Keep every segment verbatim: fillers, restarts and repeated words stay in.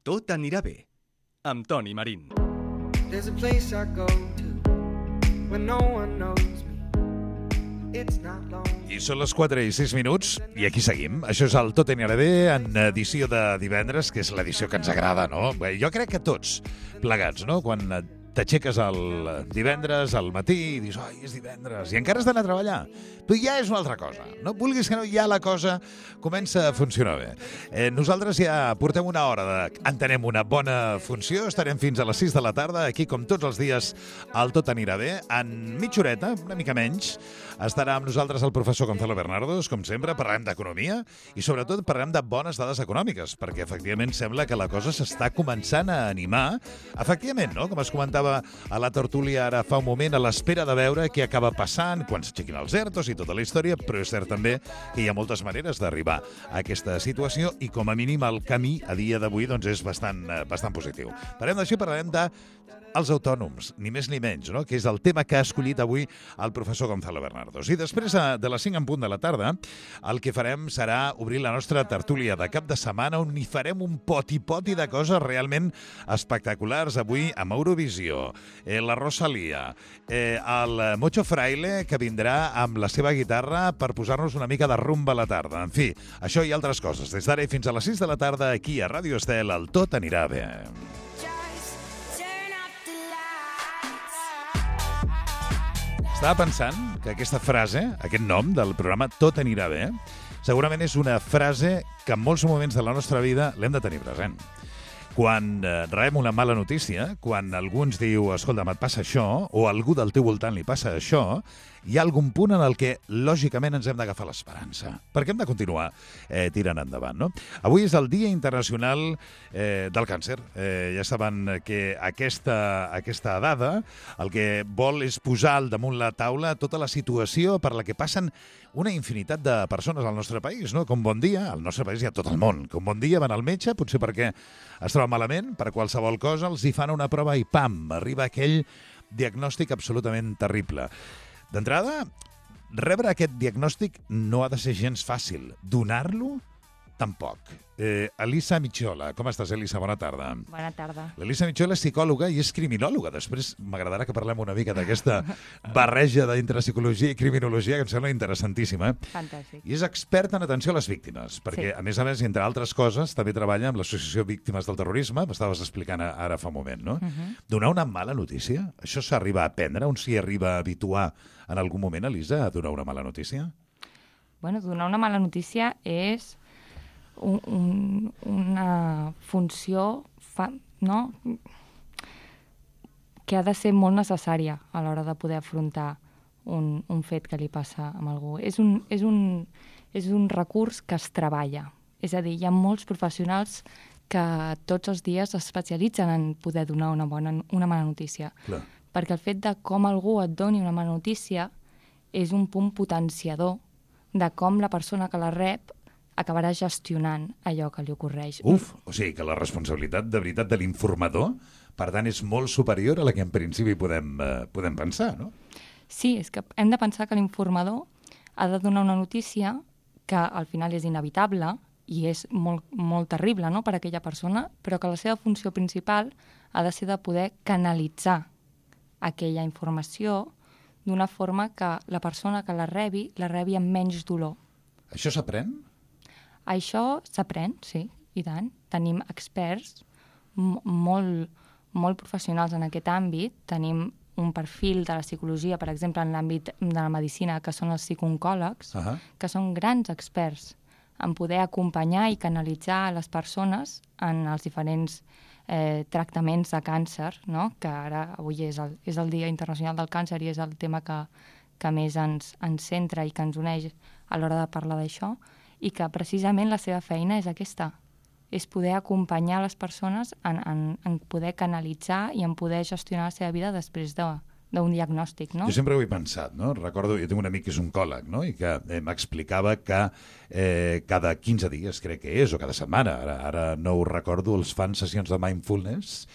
Tot anirà bé, amb Toni Marín. There's a place I go to when no one knows me. It's not long. I són les quatre i sis minuts i aquí seguim. Això és el Tot anirà bé en edició de divendres, que és l'edició que ens agrada, no? Jo crec que tots plegats, no? Quan t'aixeques el divendres al matí i dius, ai, és divendres, i encara has d'anar a treballar. Però ja és una altra cosa. No vulguis que no, ja la cosa comença a funcionar bé. Eh, nosaltres ja portem una hora de... entenem una bona funció, estarem fins a les sis de la tarda, aquí com tots els dies al Tot anirà bé. En mitja horeta, una mica menys, estarà amb nosaltres el professor Gonzalo Bernardos, com sempre, parlarem d'economia i sobretot parlarem de bones dades econòmiques, perquè efectivament sembla que la cosa s'està començant a animar. Efectivament, no? Com es comentava a la tertúlia ara fa un moment, a l'espera de veure què acaba passant quan s'aixequin els ERTOs i tota la història, però és cert també que hi ha moltes maneres d'arribar a aquesta situació i com a mínim el camí a dia d'avui doncs, és bastant, bastant positiu. Parlem d'això i parlarem de els autònoms, ni més ni menys, no? Que és el tema que ha escollit avui el professor Gonzalo Bernardos. I després de les cinc en punt de la tarda, el que farem serà obrir la nostra tertúlia de cap de setmana on hi farem un poti-poti de coses realment espectaculars. Avui amb Eurovisió, eh, la Rosalía, eh, el Mocho Fraile, que vindrà amb la seva guitarra per posar-nos una mica de rumba a la tarda. En fi, això i altres coses. Des d'ara i fins a les sis de la tarda, aquí a Ràdio Estel, el Tot anirà bé. Estava pensant que aquesta frase, aquest nom del programa Tot anirà bé, segurament és una frase que en molts moments de la nostra vida l'hem de tenir present. Quan eh, rebem una mala notícia, quan algú ens diu, escolta, et passa això, o a algú del teu voltant li passa això, hi ha algun punt en el que, lògicament, ens hem d'agafar l'esperança, perquè hem de continuar eh, tirant endavant, no? Avui és el Dia Internacional eh, del Càncer. Eh, ja saben que aquesta, aquesta dada el que vol és posar al damunt la taula tota la situació per la que passen una infinitat de persones al nostre país, no? Com Bon Dia, al nostre país i a tot el món. Com Bon Dia van al metge, potser perquè es troba malament, per qualsevol cosa, els hi fan una prova i pam, arriba aquell diagnòstic absolutament terrible. D'entrada, rebre aquest diagnòstic no ha de ser gens fàcil. Donar-lo, tampoc. Eh, Elisa Micciola, com estàs, Elisa? Bona tarda. Bona tarda. L'Elisa Micciola és psicòloga i és criminòloga. Després m'agradarà que parlem una mica d'aquesta barreja d'entre psicologia i criminologia, que em sembla interessantíssima. Fantàstic. I és experta en atenció a les víctimes, perquè, sí. a més a més, entre altres coses, també treballa amb l'Associació Víctimes del Terrorisme, m'estaves explicant ara fa un moment, no? Uh-huh. Donar una mala notícia, això s'arriba a aprendre? On s'hi arriba a habituar en algun moment, Elisa, a donar una mala notícia? Bueno, donar una mala notícia és un, un, una funció fa, no? que ha de ser molt necessària a l'hora de poder afrontar un, un fet que li passa a algú. És un, és, un, és un recurs que es treballa. És a dir, hi ha molts professionals que tots els dies es especialitzen en poder donar una, bona, una mala notícia. Clar. Perquè el fet de com algú et doni una mala notícia és un punt potenciador de com la persona que la rep acabarà gestionant allò que li ocorreix. Uf, o sigui que la responsabilitat de veritat de l'informador, per tant, és molt superior a la que en principi podem, eh, podem pensar, no? Sí, és que hem de pensar que l'informador ha de donar una notícia que al final és inevitable i és molt, molt terrible, no?, per a aquella persona, però que la seva funció principal ha de ser de poder canalitzar aquella informació d'una forma que la persona que la rebi, la rebi amb menys dolor. Això s'aprèn? Això s'aprèn, sí, i tant. Tenim experts molt, molt professionals en aquest àmbit. Tenim un perfil de la psicologia, per exemple, en l'àmbit de la medicina, que són els psicooncòlegs, uh-huh. que són grans experts en poder acompanyar i canalitzar les persones en els diferents eh, tractaments de càncer, no? Que ara avui és el, és el Dia Internacional del Càncer i és el tema que, que més ens, ens centra i que ens uneix a l'hora de parlar d'això, i que precisament la seva feina és aquesta, és poder acompanyar les persones en, en, en poder canalitzar i en poder gestionar la seva vida després de, d'un diagnòstic, no? Jo sempre ho he pensat, no? Recordo, jo tinc un amic que és oncòleg, no?, i que eh, m'explicava que eh, cada quinze dies, crec que és, o cada setmana, ara, ara no ho recordo, els fan sessions de mindfulness,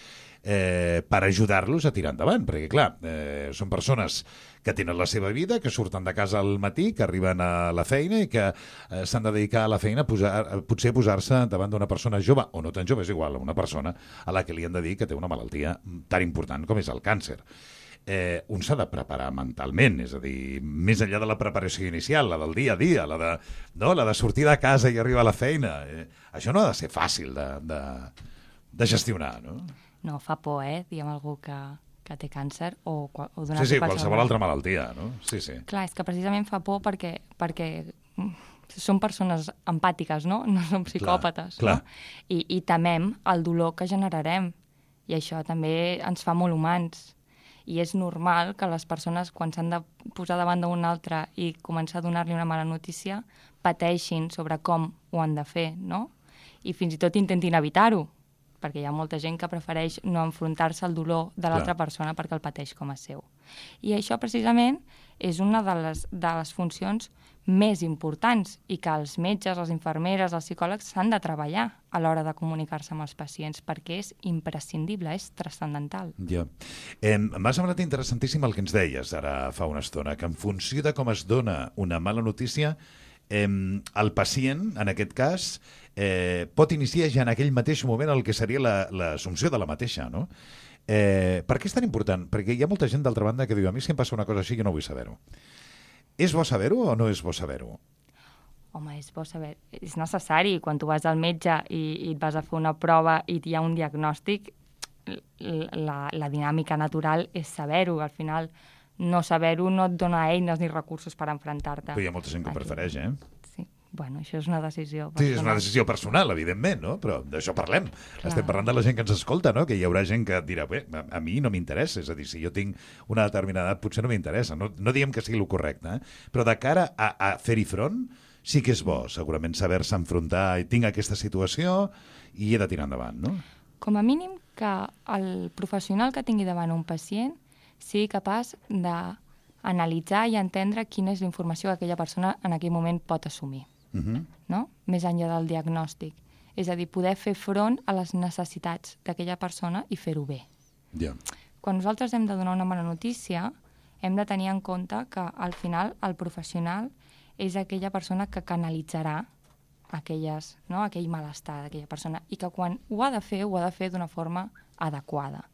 eh, per ajudar-los a tirar endavant, perquè clar, eh, són persones que tenen la seva vida, que surten de casa al matí, que arriben a la feina i que eh, s'han de dedicar a la feina a posar, a, potser a posar-se davant d'una persona jove, o no tan jove, és igual, una persona a la que li han de dir que té una malaltia tan important com és el càncer. Eh, un s'ha de preparar mentalment, és a dir, més enllà de la preparació inicial, la del dia a dia, la de, no, la de sortir de casa i arribar a la feina. Eh, això no ha de ser fàcil de, de, de gestionar, no? No, fa por, eh, diguem algú que, que té càncer o, o donar-se Sí, sí, qualsevol altra malaltia, no? Sí, sí. Clar, és que precisament fa por perquè, perquè són persones empàtiques, no? No som psicòpates, clar, clar. No? I, I temem el dolor que generarem. I això també ens fa molt humans. I és normal que les persones, quan s'han de posar davant d'un altre i començar a donar-li una mala notícia, pateixin sobre com ho han de fer, no? I fins i tot intentin evitar-ho, perquè hi ha molta gent que prefereix no enfrontar-se al dolor de l'altra persona perquè el pateix com a seu. I això, precisament, és una de les, de les funcions més importants i que els metges, les infermeres, els psicòlegs s'han de treballar a l'hora de comunicar-se amb els pacients perquè és imprescindible, és transcendental. Ja. Eh, M'ha semblat interessantíssim el que ens deies ara fa una estona, que en funció de com es dona una mala notícia, eh, el pacient, en aquest cas, eh, pot iniciar ja en aquell mateix moment el que seria l'assumpció de la mateixa, no? Eh, per què és tan important? Perquè hi ha molta gent, d'altra banda, que diu a mi si em passa una cosa així jo no vull saber-ho. És bo saber-ho o no és bo saber-ho? Home, és bo saber. És necessari. Quan tu vas al metge i, i et vas a fer una prova i hi ha un diagnòstic, la, la dinàmica natural és saber-ho. Al final, no saber-ho no et dona eines ni recursos per enfrontar-te. Però hi ha molta gent que ho prefereix, eh? Sí. Bueno, això és una decisió personal. Sí, és una decisió personal, evidentment, no? Però d'això parlem. Clar. Estem parlant de la gent que ens escolta, no? Que hi haurà gent que dirà, bé, a, a mi no m'interessa, és a dir, si jo tinc una determinada edat potser no m'interessa, no, no diem que sigui el correcte, eh? Però de cara a, a fer-hi front, sí que és bo, segurament, saber-se enfrontar i tinc aquesta situació i he de tirar endavant, no? Com a mínim que el professional que tingui davant un pacient sigui capaç d'analitzar i entendre quina és la informació que aquella persona en aquell moment pot assumir. Uh-huh. No? Més enllà del diagnòstic. És a dir, poder fer front a les necessitats d'aquella persona i fer-ho bé. Yeah. Quan nosaltres hem de donar una mala notícia, hem de tenir en compte que al final el professional és aquella persona que canalitzarà aquelles, no? aquell malestar d'aquella persona i que quan ho ha de fer, ho ha de fer d'una forma adequada.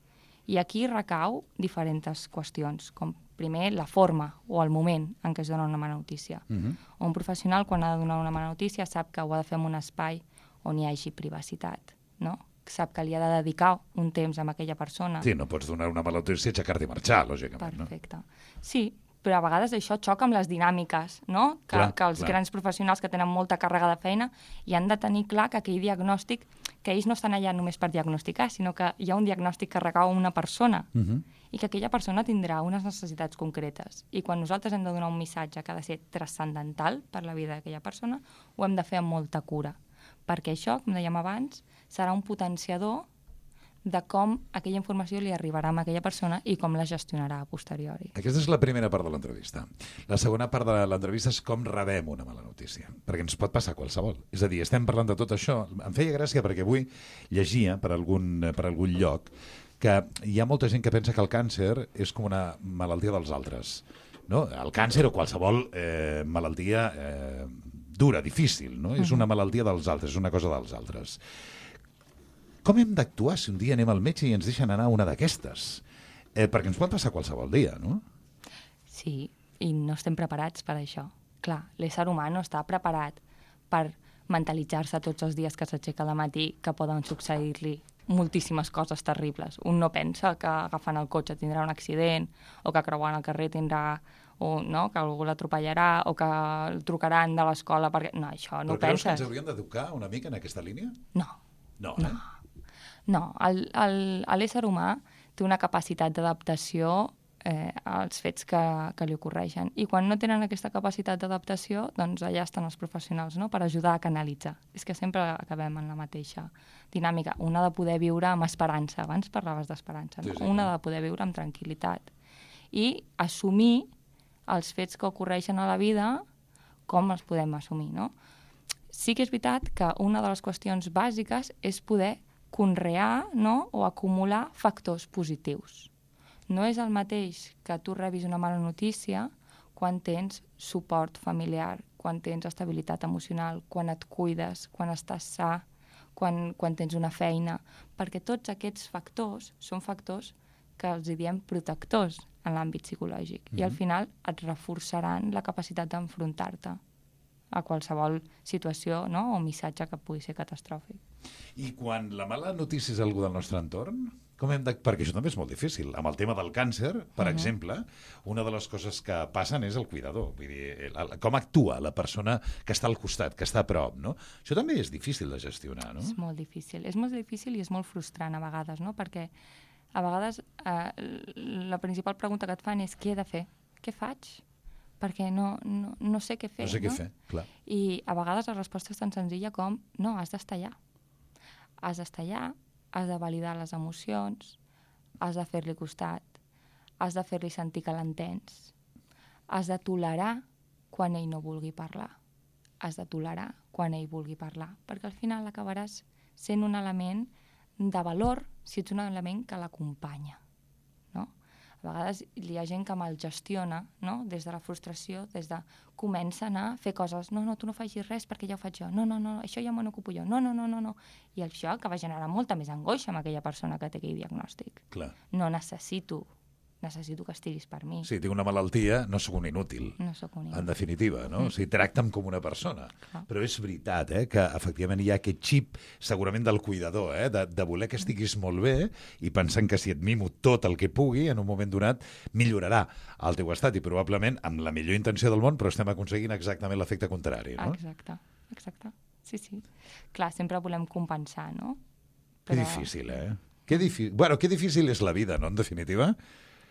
I aquí recau diferents qüestions, com primer la forma o el moment en què es dona una mala notícia. Uh-huh. Un professional, quan ha de donar una mala notícia, sap que ho ha de fer en un espai on hi hagi privacitat, no? Sap que li ha de dedicar un temps a aquella persona. Sí, no pots donar una mala notícia i aixecar-te i marxar, lògicament. Perfecte. No? Sí, però a vegades això xoca amb les dinàmiques, no? Que, clar, que els clar. grans professionals que tenen molta càrrega de feina i han de tenir clar que aquell diagnòstic, que ells no estan allà només per diagnosticar, sinó que hi ha un diagnòstic que recau a una persona uh-huh. i que aquella persona tindrà unes necessitats concretes. I quan nosaltres hem de donar un missatge que ha de ser transcendental per la vida d'aquella persona, ho hem de fer amb molta cura. Perquè això, com dèiem abans, serà un potenciador de com aquella informació li arribarà a aquella persona i com la gestionarà a posteriori. Aquesta és la primera part de l'entrevista. La segona part de l'entrevista és com rebem una mala notícia, perquè ens pot passar qualsevol. És a dir, estem parlant de tot això. Em feia gràcia perquè avui llegia per algun, per algun lloc que hi ha molta gent que pensa que el càncer és com una malaltia dels altres. No? El càncer o qualsevol eh, malaltia eh, dura, difícil, no? Uh-huh. És una malaltia dels altres, és una cosa dels altres. Com hem d'actuar si un dia anem al metge i ens deixen anar una d'aquestes? Eh, perquè ens pot passar qualsevol dia, no? Sí, i no estem preparats per això. Clar, l'ésser humà no està preparat per mentalitzar-se tots els dies que s'aixeca al matí que poden succeir-li moltíssimes coses terribles. Un no pensa que agafant el cotxe tindrà un accident o que creuant el carrer tindrà o no, que algú l'atropellarà o que el trucaran de l'escola perquè... No, això no ho penses. Però creus que ens hauríem d'educar una mica en aquesta línia? No. No, eh? No. No, l'ésser humà té una capacitat d'adaptació eh, als fets que, que li ocorreixen. I quan no tenen aquesta capacitat d'adaptació, doncs allà estan els professionals, no?, per ajudar a canalitzar. És que sempre acabem en la mateixa dinàmica. Una de poder viure amb esperança. Abans parlaves d'esperança, no? Sí, sí, una de poder viure amb tranquil·litat. I assumir els fets que ocorreixen a la vida com els podem assumir, no? Sí que és veritat que una de les qüestions bàsiques és poder conrear, no?, o acumular factors positius. No és el mateix que tu rebis una mala notícia quan tens suport familiar, quan tens estabilitat emocional, quan et cuides, quan estàs sa, quan, quan tens una feina, perquè tots aquests factors són factors que els diem protectors en l'àmbit psicològic mm-hmm. i al final et reforçaran la capacitat d'enfrontar-te a qualsevol situació, no?, o missatge que pugui ser catastròfic. I quan la mala notícia és algú del nostre entorn, com hem de... perquè això també és molt difícil. Amb el tema del càncer, per uh-huh. exemple, una de les coses que passen és el cuidador. Vull dir, el, el, com actua la persona que està al costat, que està a prop, no? Això també és difícil de gestionar, no? És molt difícil. És molt difícil i és molt frustrant a vegades, no? Perquè a vegades eh, la principal pregunta que et fan és què he de fer? Què faig? Perquè no, no, no sé què fer. No sé què no? fer, clar. I a vegades la resposta és tan senzilla com no, has d'estar allà. Has d'estar allà, has de validar les emocions, has de fer-li costat, has de fer-li sentir que l'entens, has de tolerar quan ell no vulgui parlar, has de tolerar quan ell vulgui parlar, perquè al final acabaràs sent un element de valor si ets un element que l'acompanya. No? A vegades hi ha gent que me'l gestiona, no?, des de la frustració, des de comencen a fer coses, no, no, tu no facis res perquè ja ho faig jo, no, no, no, això ja me n'ocupo jo, no, no, no, no, no. I això acaba generant molta més angoixa amb aquella persona que té aquell diagnòstic. Clar. No necessito, necessito que estiguis per mi. Sí, tinc una malaltia, no sóc un inútil. No sóc un inútil. En definitiva, no? Mm. O sigui, tracta'm com una persona. Clar. Però és veritat, eh, que efectivament hi ha aquest xip, segurament del cuidador, eh, de, de voler que estiguis molt bé i pensant que si et mimo tot el que pugui, en un moment donat millorarà el teu estat i probablement amb la millor intenció del món, però estem aconseguint exactament l'efecte contrari, no? Exacte, exacte. Sí, sí. Clar, sempre volem compensar, no? Però... Que difícil, eh? Que difícil... Bueno, que difícil és la vida, no?, en definitiva.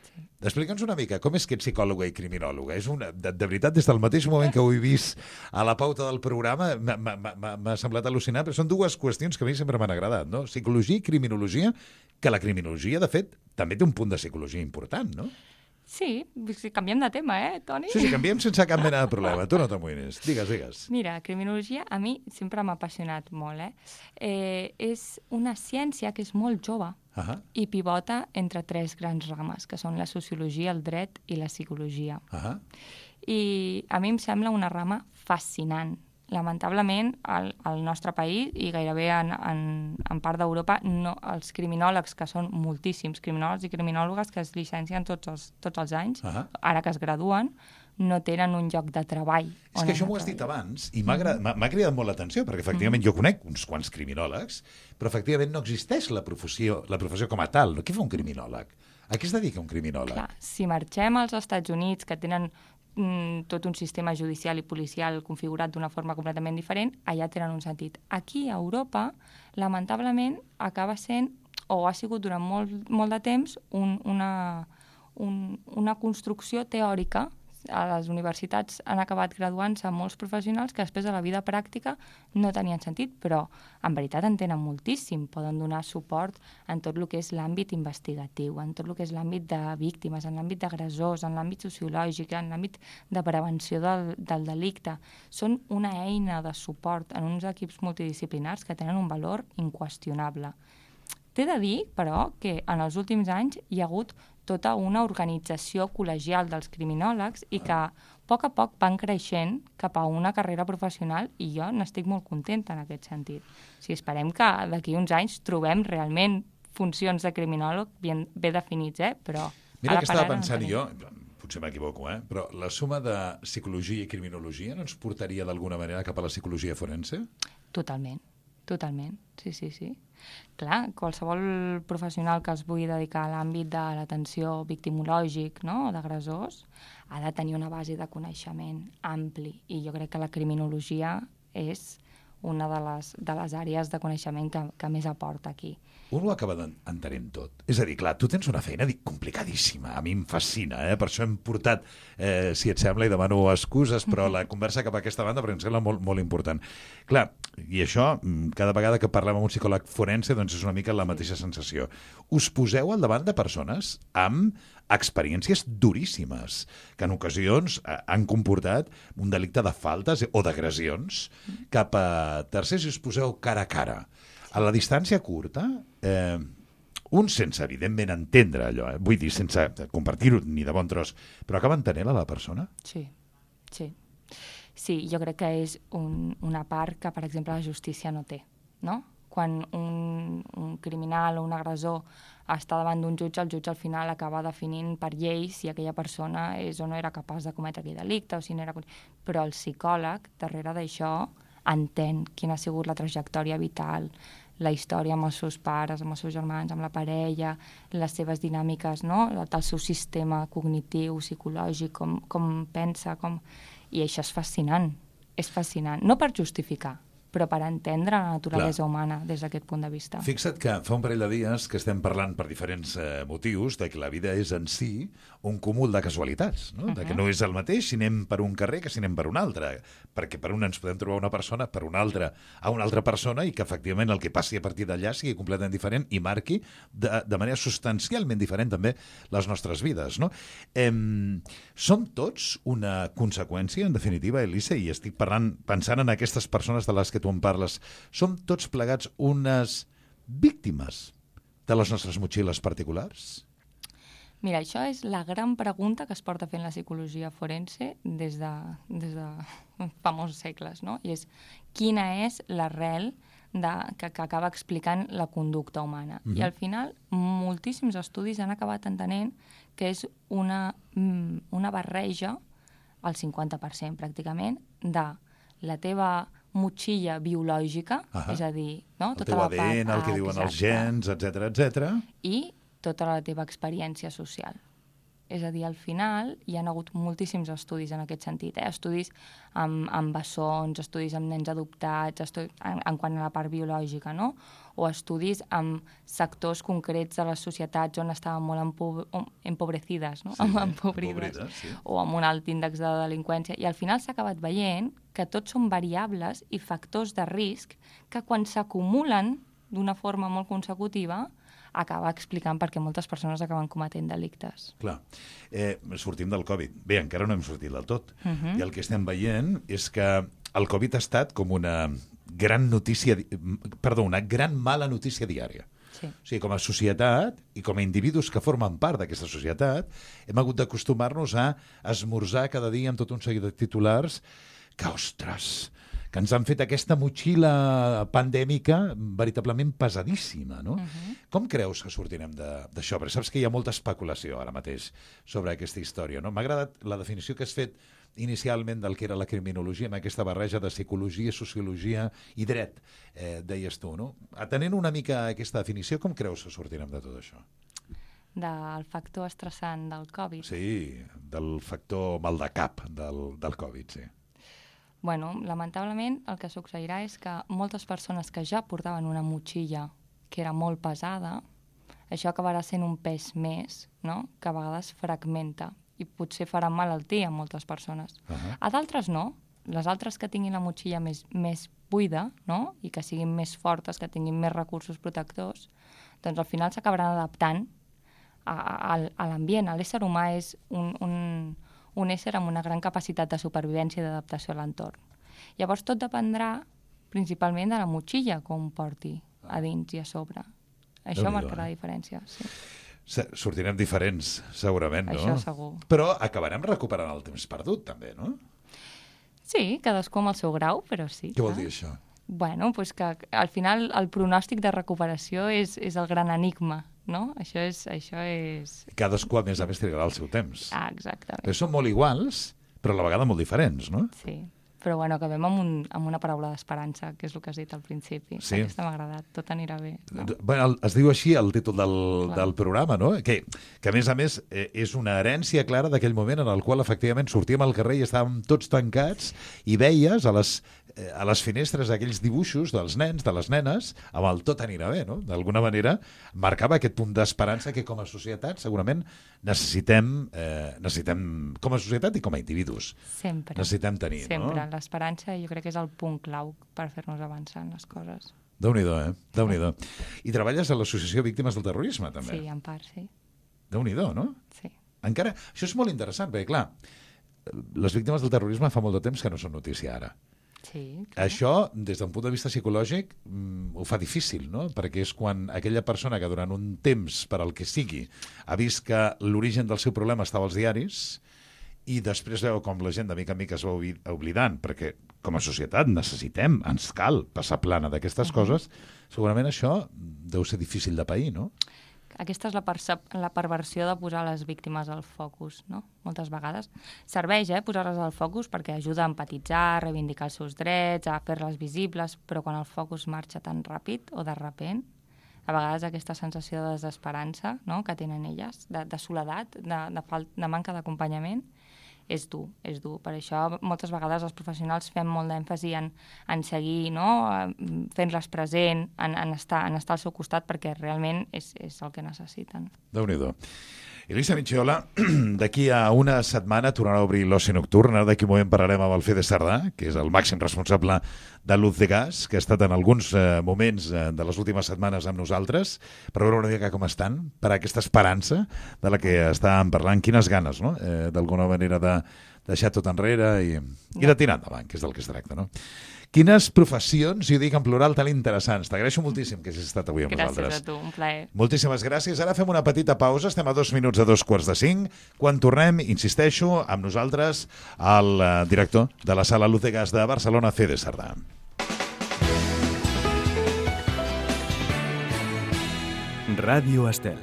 Sí. Explica'ns una mica, com és que ets psicòloga i criminòloga? És una, de, de veritat, des del mateix moment que ho he vist a la pauta del programa, m'ha semblat al·lucinant, però són dues qüestions que a mi sempre m'han agradat, no? Psicologia i criminologia, que la criminologia, de fet, també té un punt de psicologia important, no? Sí, canviem de tema, eh, Toni? Sí, sí, canviem sense cap mena de problema. Tu no t'amoïnis. Digues, digues. Mira, criminologia a mi sempre m'ha apassionat molt, eh? eh? És una ciència que és molt jove uh-huh. i pivota entre tres grans rames, que són la sociologia, el dret i la psicologia. Uh-huh. I a mi em sembla una rama fascinant. Lamentablement, al, al nostre país i gairebé en, en, en part d'Europa, no, els criminòlegs, que són moltíssims criminòlegs i criminòlogues que es llicencien tots els, tots els anys, uh-huh. ara que es graduen, no tenen un lloc de treball. És que això m'ho has dit abans i m'ha mm-hmm. cridat molt l'atenció, perquè efectivament mm-hmm. jo conec uns quants criminòlegs, però efectivament no existeix la professió, la professió com a tal. Què fa un criminòleg? A què es dedica un criminòleg? Clar, si marxem als Estats Units, que tenen tot un sistema judicial i policial configurat d'una forma completament diferent, allà tenen un sentit. Aquí, a Europa, lamentablement, acaba sent, o ha sigut durant molt, molt de temps, un, una, un, una construcció teòrica. A les universitats han acabat graduant-se molts professionals que després de la vida pràctica no tenien sentit, però en veritat en tenen moltíssim. Poden donar suport en tot el que és l'àmbit investigatiu, en tot el que és l'àmbit de víctimes, en l'àmbit d'agressors, en l'àmbit sociològic, en l'àmbit de prevenció del, del delicte. Són una eina de suport en uns equips multidisciplinars que tenen un valor inqüestionable. T'he de dir, però, que en els últims anys hi ha hagut tota una organització col·legial dels criminòlegs i que a poc a poc van creixent cap a una carrera professional i jo n'estic molt contenta en aquest sentit. O sigui, esperem que d'aquí uns anys trobem realment funcions de criminòleg ben, ben definits, eh? Però... Mira que estava pensant no jo, potser m'equivoco, eh? Però la suma de psicologia i criminologia no ens portaria d'alguna manera cap a la psicologia forense? Totalment. Totalment, sí, sí, sí. Clar, qualsevol professional que es vulgui dedicar a l'àmbit de l'atenció victimològic, no?, d'agressors, ha de tenir una base de coneixement ampli. I jo crec que la criminologia és una de les, de les àrees de coneixement que, que més aporta aquí. Un ho acaba entenent tot. És a dir, clar, tu tens una feina complicadíssima. A mi em fascina, eh? Per això hem portat, eh, si et sembla, i demano excuses, però la conversa cap a aquesta banda perquè em sembla molt, molt important. Clar, i això, cada vegada que parlem amb un psicòleg forense, doncs és una mica la mateixa sensació. Us poseu al davant de persones amb experiències duríssimes, que en ocasions han comportat un delicte de faltes o d'agressions cap a tercers i us poseu cara a cara A la distància curta, eh, un sense, evidentment, entendre allò, eh? Vull dir, sense compartir-ho ni de bon tros, però acaba entenent a la persona? Sí, sí. Sí, jo crec que és un, una part que, per exemple, la justícia no té, no? Quan un, un criminal o un agressor està davant d'un jutge, el jutge al final acaba definint per llei si aquella persona és o no era capaç de cometre aquell delicte o si no era... Però el psicòleg, darrere d'això, entén quina ha sigut la trajectòria vital, la història amb els seus pares, amb els seus germans, amb la parella, les seves dinàmiques, no? El seu sistema cognitiu, psicològic, com, com pensa, com... I això és fascinant, és fascinant. No per justificar, però per entendre la naturalesa Clar. humana des d'aquest punt de vista. Fixa't que fa un parell de dies que estem parlant per diferents eh, motius de que la vida és en si un cúmul de casualitats, no? Uh -huh. De que no és el mateix si anem per un carrer que si anem per un altre, perquè per un ens podem trobar una persona, per un altre a una altra persona, i que efectivament el que passi a partir d'allà sigui completament diferent i marqui de, de manera substancialment diferent també les nostres vides, no? Eh, som tots una conseqüència, en definitiva, Elisa, i estic parlant, pensant en aquestes persones de les que tu en parles, som tots plegats unes víctimes de les nostres motxilles particulars? Mira, això és la gran pregunta que es porta fent la psicologia forense des de, des de fa molts segles, no? I és quina és l'arrel de, que, que acaba explicant la conducta humana. Mm-hmm. I al final, moltíssims estudis han acabat entenent que és una, una barreja, al cinquanta per cent pràcticament, de la teva motxilla biològica, uh-huh. és a dir, no? el tota teu la A D N, part, el que diuen els gens, etcètera, etcètera, i tota la teva experiència social. És a dir, al final hi ha hagut moltíssims estudis en aquest sentit, eh? Estudis amb, amb bessons, estudis amb nens adoptats, estudis en, en quant a la part biològica, no? O estudis amb sectors concrets de les societats on estaven molt empo empobrecides, no? Sí, empobrides, empobrides, sí. O amb un alt índex de delinqüència. I al final s'ha acabat veient que tots són variables i factors de risc que quan s'acumulen d'una forma molt consecutiva acaba explicant per què moltes persones acaben cometent delictes. Clar. Eh, sortim del Covid. Bé, encara no hem sortit del tot. Uh -huh. I el que estem veient és que el Covid ha estat com una gran notícia, perdó, una gran mala notícia diària. Sí. O sigui, com a societat i com a individus que formen part d'aquesta societat, hem hagut d'acostumar-nos a esmorzar cada dia amb tot un seguit de titulars que, ostres, que ens han fet aquesta motxilla pandèmica veritablement pesadíssima, no? Uh-huh. Com creus que sortirem d'això? Perquè saps que hi ha molta especulació ara mateix sobre aquesta història, no? M'ha agradat la definició que has fet inicialment del que era la criminologia, amb aquesta barreja de psicologia, sociologia i dret, eh, deies tu, no? Atenent una mica aquesta definició, com creus que sortirem de tot això? Del factor estressant del Covid? Sí, del factor mal de cap del, del Covid, sí. Bueno, lamentablement el que succeirà és que moltes persones que ja portaven una motxilla que era molt pesada, això acabarà sent un pes més, no?, que a vegades fragmenta i potser farà malaltia a moltes persones. Uh-huh. A d'altres no. Les altres que tinguin la motxilla més, més buida, no?, i que siguin més fortes, que tinguin més recursos protectors, doncs al final s'acabaran adaptant a, a, a l'ambient. L'ésser humà és un... un un ésser amb una gran capacitat de supervivència i d'adaptació a l'entorn. Llavors tot dependrà principalment de la motxilla que un porti a dins i a sobre. Això Déu-n'hi-do, marcarà eh? la diferència, sí. Sortirem diferents, segurament, no? Això segur. Però acabarem recuperant el temps perdut, també, no? Sí, cadascú amb el seu grau, però sí. Què vol dir això? Bueno, pues que al final el pronòstic de recuperació és, és el gran enigma, no? Això és... Això és... Cadascú, a més a més, trigarà el seu temps. Ah, exactament. Però són molt iguals, però a la vegada molt diferents, no? Sí. Però bueno, acabem amb, un, amb una paraula d'esperança, que és el que has dit al principi. Sí. Aquesta m'ha agradat, tot anirà bé. No? Bueno, es diu així el títol del, del programa, no? Que, que a més a més eh, és una herència clara d'aquell moment en el qual efectivament sortíem al carrer i estàvem tots tancats i veies a les, eh, a les finestres aquells dibuixos dels nens, de les nenes, amb el tot anirà bé, no? D'alguna manera marcava aquest punt d'esperança que com a societat segurament necessitem, eh, necessitem com a societat i com a individus. Sempre. Necessitem tenir, Sempre. no? L'esperança jo crec que és el punt clau per fer-nos avançar en les coses. Déu-n'hi-do, eh? Déu-n'hi-do. I treballes a l'Associació Víctimes del Terrorisme, també? Sí, en part, sí. Déu-n'hi-do, no? Sí. Encara... Això és molt interessant, perquè, clar, les víctimes del terrorisme fa molt de temps que no són notícia ara. Sí, clar. Això, des d'un punt de vista psicològic, mm, ho fa difícil, no? Perquè és quan aquella persona que durant un temps, per al que sigui, ha vist que l'origen del seu problema estava als diaris i després veu com la gent de mica en mica es va oblidant, perquè com a societat necessitem, ens cal passar plana d'aquestes uh-huh. coses, segurament això deu ser difícil de pair, no? Aquesta és la, percep- la perversió de posar les víctimes al focus, no? Moltes vegades. Serveix, eh, posar-les al focus perquè ajuda a empatitzar, a reivindicar els seus drets, a fer-les visibles, però quan el focus marxa tan ràpid o de repent, a vegades aquesta sensació de desesperança, no?, que tenen elles, de, de soledat, de, de, fal- de manca d'acompanyament, és dur, és dur. Per això moltes vegades els professionals fem molt d'èmfasi en, en seguir, no?, fent-les present, en, en, estar, en estar al seu costat, perquè realment és, és el que necessiten. Déu-n'hi-do. Elisa Micciola, d'aquí a una setmana tornarà a obrir l'Oci Nocturn. Ara d'aquí un moment parlarem amb el Fede Sardà, que és el màxim responsable de Luz de Gas, que ha estat en alguns eh, moments eh, de les últimes setmanes amb nosaltres, per veure una mica com estan, per a aquesta esperança de la que estàvem parlant. Quines ganes, no?, eh, d'alguna manera de deixar tot enrere i, i de tirar endavant, que és del que es tracta, no? Quines professions, i ho dic en plural, tan interessants. T'agraeixo moltíssim que hagis estat avui amb gràcies nosaltres. Gràcies a tu, un plaer. Moltíssimes gràcies. Ara fem una petita pausa, estem a dos minuts a dos quarts de cinc. Quan tornem, insisteixo, amb nosaltres el uh, director de la Sala Luz de Gas de Barcelona, Fede Sardà. Ràdio Estel.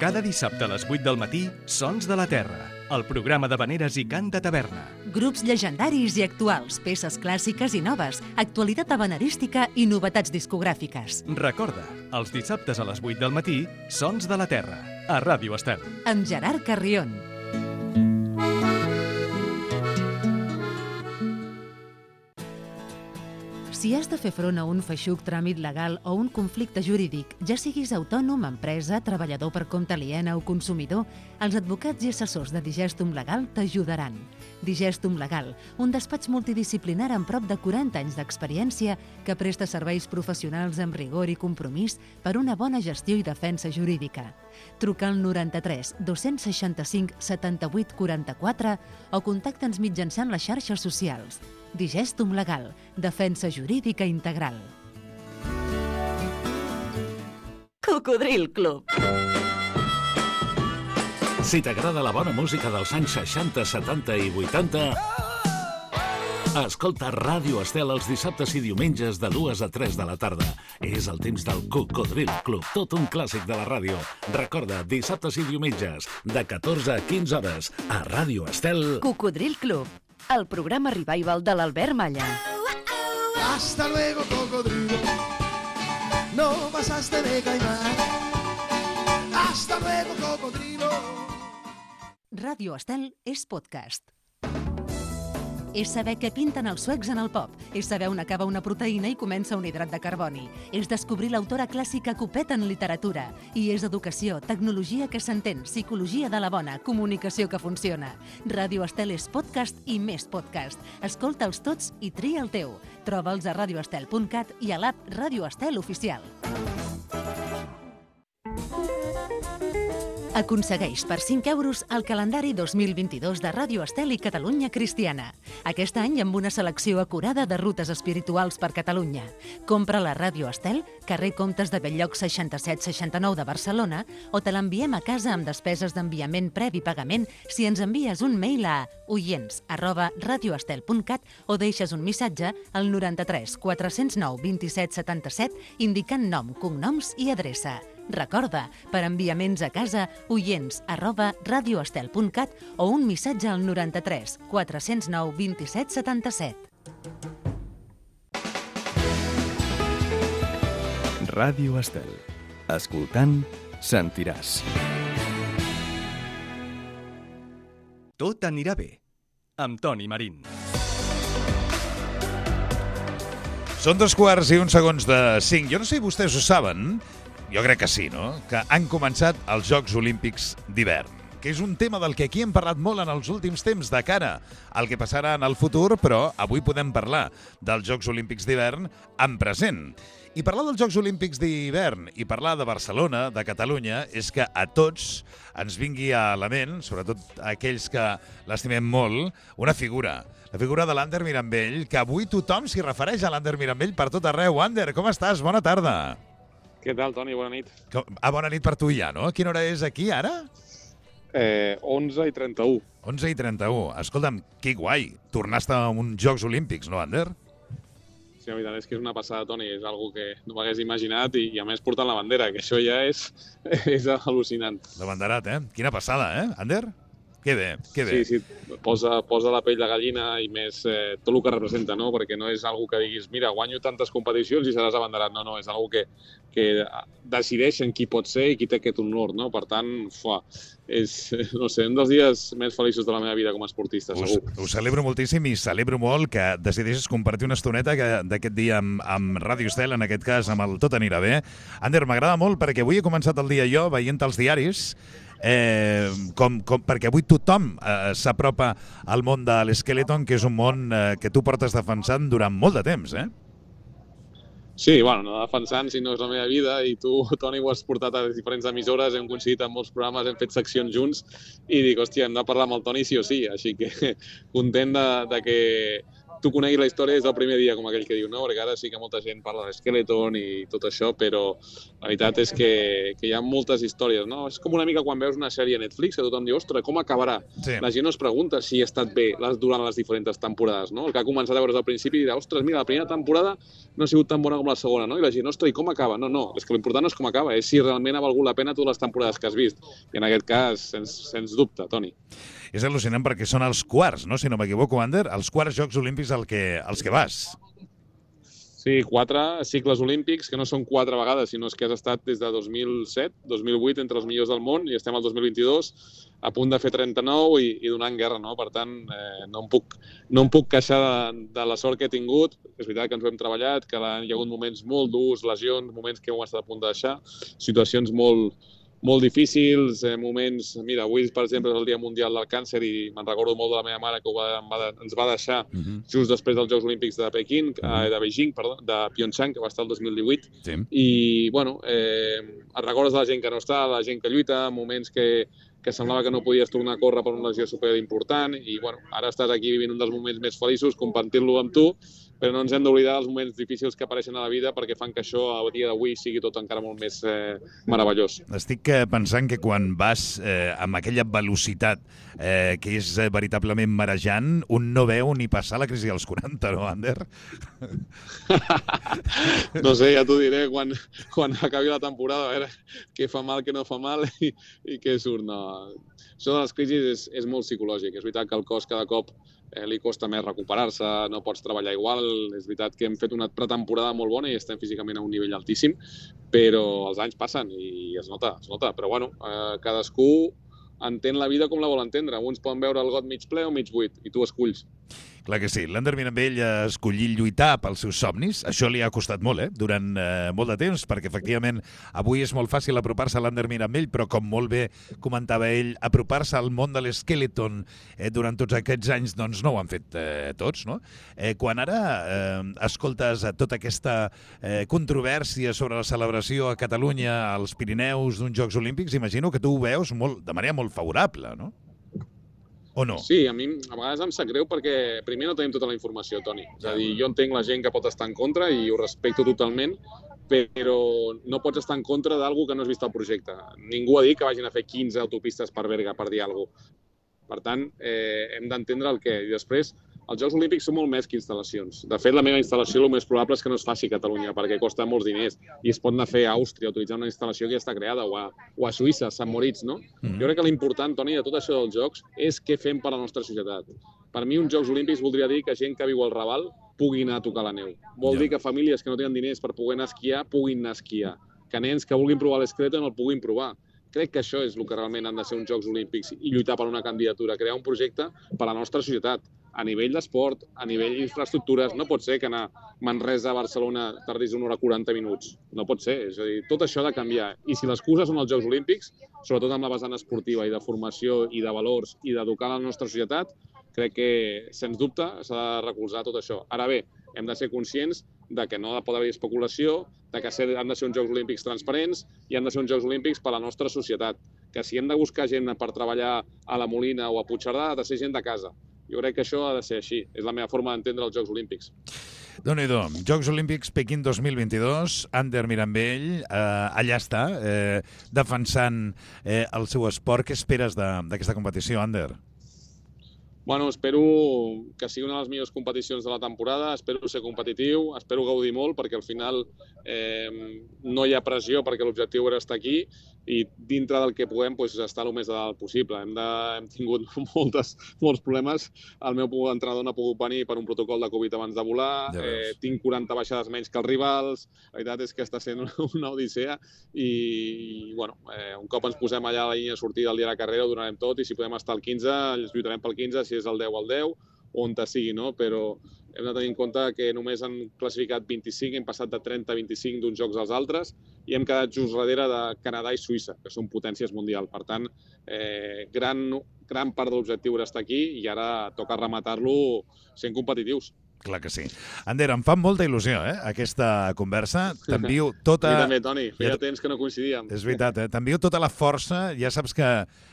Cada dissabte a les vuit del matí, Sons de la Terra, el programa de veneres i cant de taverna. Grups llegendaris i actuals, peces clàssiques i noves, actualitat habanerística i novetats discogràfiques. Recorda, els dissabtes a les vuit del matí, Sons de la Terra, a Ràdio Estel. Amb Gerard Carrion. Si has de fer front a un feixuc tràmit legal o un conflicte jurídic, ja siguis autònom, empresa, treballador per compte aliena o consumidor, els advocats i assessors de Digestum Legal t'ajudaran. Digestum Legal, un despatx multidisciplinar amb prop de quaranta anys d'experiència que presta serveis professionals amb rigor i compromís per una bona gestió i defensa jurídica. Truca al noranta-tres dos-cents seixanta-cinc setanta-vuit quaranta-quatre o contacta'ns mitjançant les xarxes socials. Digestum Legal, defensa jurídica integral. Cocodril Club. Si t'agrada la bona música dels anys seixanta, setanta i vuitanta, escolta Ràdio Estel els dissabtes i diumenges de dues a tres de la tarda. És el temps del Cocodril Club, tot un clàssic de la ràdio. Recorda, dissabtes i diumenges, de catorze a quinze hores, a Ràdio Estel. Cocodril Club, el programa revival de l'Albert Malla. Hasta luego, cocodrilo. No pasaste de caimán. Hasta luego, cocodrilo. Ràdio Estel és podcast. És saber què pinten els suecs en el pop. És saber on acaba una proteïna i comença un hidrat de carboni. És descobrir l'autora clàssica Copet en literatura. I és educació, tecnologia que s'entén, psicologia de la bona, comunicació que funciona. Ràdio Estel és podcast i més podcast. Escolta'ls tots i tria el teu. Troba'ls a radio estel punt cat i a l'app Ràdio Estel Oficial. Aconsegueix per cinc euros el calendari dos mil vint-i-dos de Ràdio Estel i Catalunya Cristiana. Aquest any amb una selecció acurada de rutes espirituals per Catalunya. Compra la Ràdio Estel, carrer Comtes de Belllloc seixanta-set seixanta-nou de Barcelona, o te l'enviem a casa amb despeses d'enviament previ pagament si ens envies un mail a oients arroba radioestel punt cat o deixes un missatge al noranta-tres quatre-cents nou vint-i-set setanta-set indicant nom, cognoms i adreça. Recorda, per enviaments a casa, oients arroba radioestel punt cat o un missatge al noranta-tres quatre-cents nou vint-i-set setanta-set. Ràdio Estel. Escoltant, sentiràs. Tot anirà bé, amb Toni Marín. Són dos quarts i uns segons de cinc. Jo no sé si vostès ho saben, jo crec que sí, no?, que han començat els Jocs Olímpics d'hivern. que és un tema del que aquí hem parlat molt en els últims temps de cara al que passarà en el futur, però avui podem parlar dels Jocs Olímpics d'hivern en present. I parlar dels Jocs Olímpics d'hivern i parlar de Barcelona, de Catalunya, és que a tots ens vingui a la ment, sobretot a aquells que l'estimem molt, una figura. La figura de l'Ander Mirambell, que avui tothom s'hi refereix a l'Ander Mirambell per tot arreu. Ander, com estàs? Bona tarda. Què tal, Toni? Bona nit. Ah, bona nit per tu ja, no? Quina hora és aquí, ara? Eh, onze i trenta-u. onze i trenta-u. Escolta'm, que guai. Tornaste a uns Jocs Olímpics, no, Ander? Sí, la veritat és que és una passada, Toni. És algo que no m'hagués imaginat i, i a més portant la bandera, que això ja és, és al·lucinant. La banderat, eh? Quina passada, eh, Ander? Que bé, que bé. Sí, sí, posa, posa la pell de gallina i més eh, tot el que representa, no? Perquè no és algo que diguis, mira, guanyo tantes competicions i seràs abanderat. No, no, és algo que, que decideixen qui pot ser i qui té aquest honor, no? Per tant, fuà, és, no sé, un dels dies més feliços de la meva vida com a esportista, segur. Ho, ho celebro moltíssim i celebro molt que decideixes compartir una estoneta d'aquest dia amb, amb Ràdio Estel, en aquest cas amb el Tot anirà bé. Ander, m'agrada molt perquè avui he començat el dia jo veient els diaris, Eh, com, com, perquè avui tothom eh, s'apropa al món de l'Skeleton, que és un món eh, que tu portes defensant durant molt de temps, eh? Sí, bueno, no defensant, si no és la meva vida, i tu, Toni, ho has portat a diferents emissores, hem coincidit en molts programes, hem fet seccions junts, i dic, hòstia, hem de parlar amb el Toni sí o sí, així que content de, de que tu coneguis la història des del primer dia, com aquell que diu, no? Perquè ara sí que molta gent parla de Skeleton i tot això, però la veritat és que, que hi ha moltes històries, no? És com una mica quan veus una sèrie a Netflix que tothom diu, ostres, com acabarà? Sí. La gent no es pregunta si ha estat bé les, durant les diferents temporades, no? El que ha començat a veure al principi dirà, ostres, mira, la primera temporada no ha sigut tan bona com la segona, no? I la gent, ostres, i com acaba? No, no, és que l'important no és com acaba, és si realment ha valgut la pena totes les temporades que has vist. I en aquest cas, sens, sens dubte, Toni. És al·lucinant perquè són els quarts, no? Si no m'equivoco, Ander, els quarts Jocs Olímpics al que, als que vas. Sí, quatre cicles olímpics, que no són quatre vegades, sinó que has estat des de dos mil set, dos mil vuit, entre els millors del món, i estem al dos mil vint-i-dos, a punt de fer trenta-nou i, i donant guerra, no? Per tant, eh, no, em puc, no em puc queixar de, de la sort que he tingut. És veritat que ens ho hem treballat, que hi ha hagut moments molt durs, lesions, moments que hem estat a punt de deixar, situacions molt, molt difícils, eh, moments... Mira, avui, per exemple, és el Dia Mundial del Càncer i me'n recordo molt de la meva mare que ho va, va, ens va deixar uh-huh. just després dels Jocs Olímpics de Pequín, uh-huh. eh, de Beijing, perdó, de Pyeongchang, que va estar el dos mil divuit. Sí. I, bueno, eh, et recordes de la gent que no està, la gent que lluita, moments que, que semblava que no podies tornar a córrer per una lesió super important i, bueno, ara estàs aquí vivint un dels moments més feliços, compartint-lo amb tu, però no ens hem d'oblidar dels moments difícils que apareixen a la vida perquè fan que això a dia d'avui sigui tot encara molt més eh, meravellós. Estic pensant que quan vas eh, amb aquella velocitat eh, que és eh, veritablement marejant, un no veu ni passar la crisi dels quaranta, no, Ander? No sé, ja t'ho diré quan, quan acabi la temporada, a veure què fa mal, què no fa mal i, i què surt. No. Això de les crisis és, és molt psicològic. És veritat que el cos cada cop eh, li costa més recuperar-se, no pots treballar igual. És veritat que hem fet una pretemporada molt bona i estem físicament a un nivell altíssim, però els anys passen i es nota, es nota. Però bueno, eh, cadascú entén la vida com la vol entendre. Uns poden veure el got mig ple o mig buit i tu esculls. Clar que sí. L'Ander Mirambell ha escollit lluitar pels seus somnis. Això li ha costat molt, eh? Durant eh, molt de temps, perquè efectivament avui és molt fàcil apropar-se a l'Ander Mirambell, però com molt bé comentava ell, apropar-se al món de l'Skeleton eh, durant tots aquests anys, doncs no ho han fet eh, tots, no? Eh, quan ara eh, escoltes tota aquesta eh, controvèrsia sobre la celebració a Catalunya, als Pirineus d'uns Jocs Olímpics, imagino que tu ho veus molt, de manera molt favorable, no? O no? Sí, a mi a vegades em sap greu perquè primer no tenim tota la informació, Toni. És a dir, jo entenc la gent que pot estar en contra i ho respecto totalment, però no pots estar en contra d'algú que no has vist el projecte. Ningú ha dit que vagin a fer quinze autopistes per Berga, per dir alguna cosa. Per tant, eh, hem d'entendre el què. I després, els Jocs Olímpics són molt més que instal·lacions. De fet, la meva instal·lació el més probable és que no es faci a Catalunya, perquè costa molts diners i es pot anar a fer a Àustria, utilitzar una instal·lació que ja està creada, o a, o a Suïssa, a Sant Moritz, no? Mm-hmm. Jo crec que l'important, Toni, de tot això dels Jocs és què fem per a la nostra societat. Per mi, uns Jocs Olímpics voldria dir que gent que viu al Raval pugui anar a tocar la neu. Vol ja. dir que famílies que no tenen diners per poder anar a esquiar puguin anar a esquiar. Que nens que vulguin provar l'Skeleton el puguin provar. Crec que això és el que realment han de ser uns Jocs Olímpics i lluitar per una candidatura, crear un projecte per a la nostra societat. a nivell d'esport, a nivell d'infraestructures, no pot ser que anar Manresa a Barcelona tardis una hora quaranta minuts. No pot ser. És a dir, tot això ha de canviar. I si l'excusa són els Jocs Olímpics, sobretot amb la vessant esportiva i de formació i de valors i d'educar la nostra societat, crec que, sens dubte, s'ha de recolzar tot això. Ara bé, hem de ser conscients de que no pot haver especulació, de que han de ser uns Jocs Olímpics transparents i han de ser uns Jocs Olímpics per a la nostra societat. Que si hem de buscar gent per treballar a la Molina o a Puigcerdà, ha de ser gent de casa. Jo crec que això ha de ser així. És la meva forma d'entendre els Jocs Olímpics. Déu-n'hi-do. Jocs Olímpics Pequín dos mil vint-i-dos, Ander Mirambell, eh, allà està, eh, defensant eh, el seu esport. Què esperes d'aquesta competició, Ander? Bueno, espero que sigui una de les millors competicions de la temporada, espero ser competitiu, espero gaudir molt, perquè al final eh, no hi ha pressió, perquè l'objectiu era estar aquí, i dintre del que puguem doncs, estar el més de dalt possible. Hem, de, hem tingut moltes, molts problemes. El meu entrenador no ha pogut venir per un protocol de Covid abans de volar, ja eh, tinc quaranta baixades menys que els rivals, la veritat és que està sent una, una odissea, i, i bueno, eh, un cop ens posem allà a la línia de sortida del dia de la carrera ho donarem tot, i si podem estar al quinze, ens lluitarem pel quinze, si és el deu al deu, on te sigui, no? Però hem de tenir en compte que només han classificat vint-i-cinc, hem passat de trenta a vint-i-cinc d'uns jocs als altres, i hem quedat just darrere de Canadà i Suïssa, que són potències mundials. Per tant, eh, gran, gran part de l'objectiu era estar aquí, i ara toca rematar-lo sent competitius. Clar que sí. Ander, em fa molta il·lusió, eh, aquesta conversa. T'envio tota... A mi també, Toni. Feia temps que no coincidíem. És veritat, eh? T'envio tota la força. Ja saps que,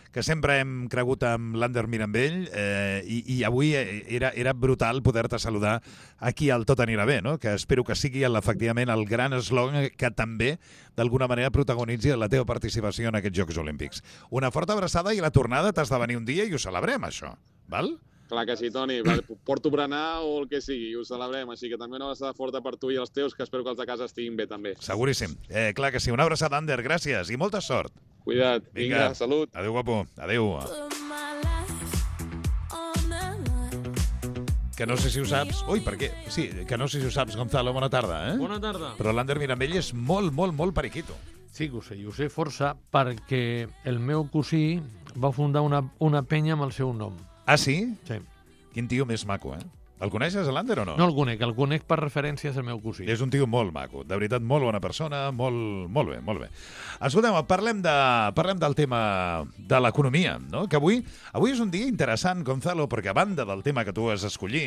que sempre hem cregut amb l'Ander Mirambell eh, i, i avui era, era brutal poder-te saludar aquí al Tot anirà bé, no? Que espero que sigui efectivament el gran eslògan que també, d'alguna manera, protagonitzi la teva participació en aquests Jocs Olímpics. Una forta abraçada i la tornada t'has de venir un dia i ho celebrem, això. Val? Clar que sí, Toni. Porto berenar o el que sigui, ho celebrem. Així que també una abraçada forta per tu i els teus, que espero que els de casa estiguin bé també. Seguríssim. Eh, clar que sí. Una abraçada, Ander. Gràcies i molta sort. Cuida't. Vinga, Vinga salut. Adéu, guapo. Adéu. Que no sé si ho saps... Ui, per què? Sí, que no sé si ho saps, Gonzalo. Bona tarda, eh? Bona tarda. Però l'Ander Mirambell és molt, molt, molt periquito. Sí que ho sé, i ho sé força perquè el meu cosí va fundar una, una penya amb el seu nom. Ah, sí? Sí. Quin tio més maco, eh? El coneixes, l'Ander, o no? No el conec, el conec per referències al meu cosí. És un tio molt maco, de veritat, molt bona persona, molt, molt bé, molt bé. Escolteu, parlem, de, parlem del tema de l'economia, no? Que avui, avui és un dia interessant, Gonzalo, perquè a banda del tema que tu has escollit,